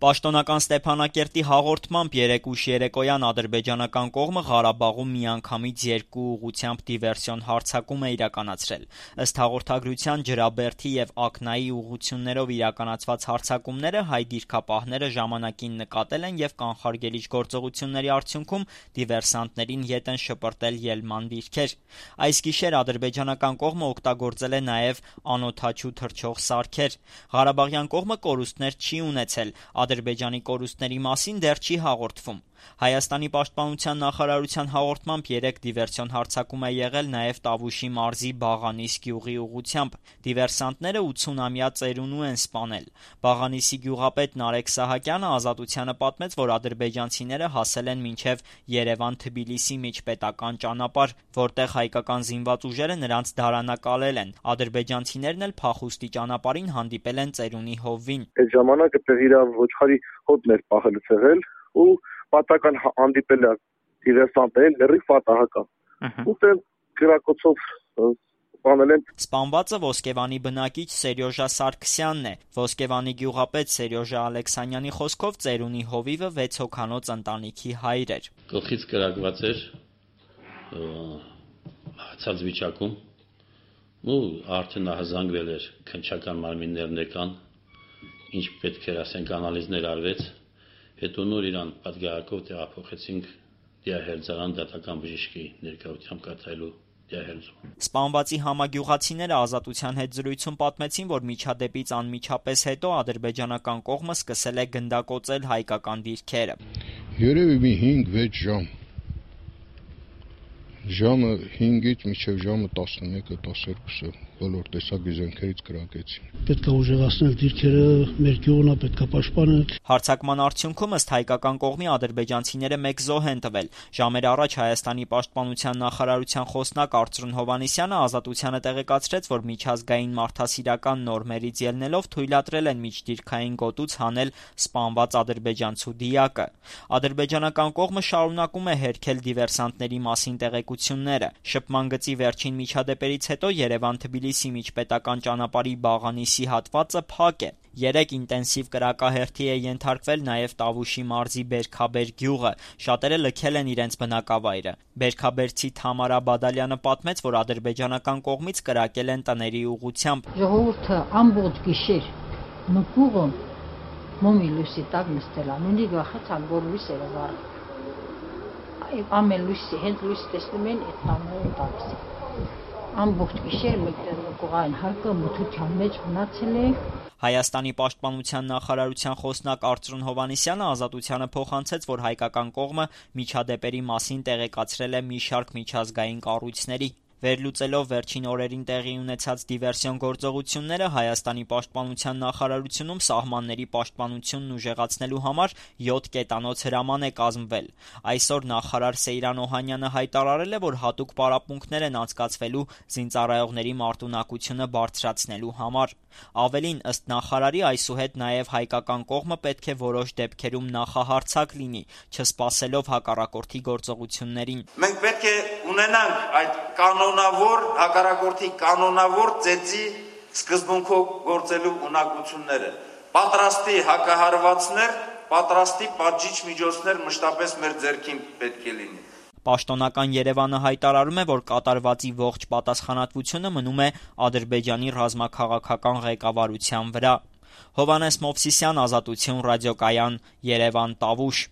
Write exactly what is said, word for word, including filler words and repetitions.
Պաշտոնական Ստեփանակերտի հաղորդմամբ երեկ ուշ երեկոյան ադրբեջանական կողմը Ղարաբաղում միանգամից երկու ուղղությամբ դիվերսիոն հարձակում է իրականացրել։ Ըստ հաղորդագրության Ջրաբերդի եւ Ակնայի ուղղություններով իրականացված հարձակումները հայ դիրքապահները ժամանակին նկատել են եւ կանխարգելիչ գործողությունների արդյունքում դիվերսանտներին ետ են շպրտել ելման դիրքեր։ Այս գիշեր ադրբեջանական կողմը օգտագործել է նաեւ անօդաչու թռչող սարքեր։ Ղարաբաղյան կողմը կորուստներ չի ունեցել։ Ադրբեջանի կորուստների մասին դեռ չի հաղորդվում։ Հայաստանի պաշտպանության նախարարության հաղորդմամբ երեք դիվերսիոն հարձակում է եղել նաև Տավուշի մարզի Բաղանիս գյուղի ուղղությամբ։ Դիվերսանտները ութսունամյա ծերունու են սպանել։ Բաղանիսի գյուղապետ Նարեկ Սահակյանը Ազատությանը պատմեց, որ ադրբեջանցիները հասել են մինչև Երևան-Թբիլիսի միջպետական ճանապարհ, որտեղ հայկական զինված ուժերը նրանց դարանակալել են։ Ադրբեջանցիներն էլ փախուստի ճանապարհին հանդիպել են ծերունի հովվին։ Այդ ժամանակ այդտեղ իր ոչխարի հոտն էր պահելուց եղել ու պատական հանդիպել է դիվերսանտներին լրիվ պատահական։ Ուտել գրակոծով սպանել են։ Սպանվածը Ոսկեվանի բնակիչ Սերյոժա Սարգսյանն է։ Ոսկեվանի գյուղապետ Սերյոժա Ալեքսանյանի խոսքով ծերունի հովիվը վեց հոգանոց ընտանիքի հայր էր։ Գլխից կրակված էր հացած վիճակում ու արդեն հազանգվել էր քնչական մարմիններն եկան, ինչ պետք էր ասենք անալիզներ արվեց, հետո նոր իրան պատգարակով տեղափոխեցինք դիահերձարան դատական բժշկի ներկայությամբ կատարելու դիահերձում։ Սպանվածի համագյուղացիները Ազատության հետ զրույցում պատմեցին, որ միջադեպից անմիջապես հետո ադրբեջանական կողմը սկսել է գնդակոծել հայկական դիրքերը։ Երևի մի հինգ-վեց ժամ։ Ժամը հինգից մինչև ժամը տասնմեկը տասներկուսը բոլոր տեսակի զենքերից կրակեցին։ Պետք է ուժեղացնել դիրքերը, մեր գյուղն է պետք է պաշտպանել։ Հարձակման արդյունքում ըստ հայկական կողմի ադրբեջանցիները մեկ զոհ են տվել։ Ժամեր առաջ Հայաստանի պաշտպանության նախարարության խոսնակ Արծրուն Հովհաննիսյանը Ազատությանը տեղեկացրեց, որ միջազգային մարդասիրական նորմերից ելնելով թույլատրել են միջդիրքային գոտուց հանել սպանված ադրբեջանցու դիակը։ Ադրբեջանական կողմը շարունակում է հերքել դիվերսանտների մասին տեղեկությունները։ Շփման գծի վերջին միջադեպերից հետո Երևան-Թբիլիսի միջպետական ճանապարհի Բաղանիսի հատվածը փակ է։ Երեք ինտենսիվ կրակահերթի է ենթարկվել նաև Տավուշի մարզի Բերքաբեր գյուղը։ Շատերը լքել են իրենց բնակավայրը։ Բերքաբերցի Թամարա Բադալյանը պատմեց, որ ադրբեջանական կողմից կրակել են տների ուղղությամբ։ Ժողովուրդը ամբողջ գիշեր նկուղը մոմի լույսի տակ նստել է։ Նույնիսկ վախեցան, որ լույսերը վառ։ Ամեն լույսի, հենց լույս տեսնում են այդ տանները տալիս։ Ամբողջ գիշեր մեկտեղ նկուղային հարկը մթության մեջ մնացել է։ Հայաստանի պաշտպանության նախարարության խոսնակ Արծրուն Հովհաննիսյանը Ազատությանը փոխանցեց, որ հայկական կողմը միջադեպերի մասին տեղեկացրել է մի շարք միջազգային կառույցների։ Վերլուծելով վերջին օրերին տեղի ունեցած դիվերսիոն գործողությունները Հայաստանի պաշտպանության նախարարությունում սահմանների պաշտպանությունն ուժեղացնելու համար յոթ կետանոց հրաման է կազմվել։ Այսօր նախարար Սեյրան Օհանյանը հայտարարել է, որ հատուկ պարապմունքներ են անցկացվելու զինծառայողների մարտունակությունը բարձրացնելու համար։ Ավելին, ըստ նախարարի, այսուհետ նաև հայկական կողմը պետք է որոշ դեպքերում նախահարձակ լինի, չսպասելով հակառակորդի գործողություններին։ Մենք պետք է ունենանք այդ կանոնավոր հակառակորդի կանոնավոր ծեծի սկզբունքով գործելու ունակությունները, պատրաստի հակահարվածներ, պատրաստի պատժիչ միջոցներ մշտապես մեր ձեռքին պետք է լինի։ Պաշտոնական Երևանը հայտարարում է, որ կատարվածի ողջ պատասխանատվությունը մնում է Ադրբեջանի ռազմաքաղաքական ղեկավարության վրա։ Հովհաննես Մովսիսյան, Ազատություն ռադիոկայան, Երևան, Տավուշ։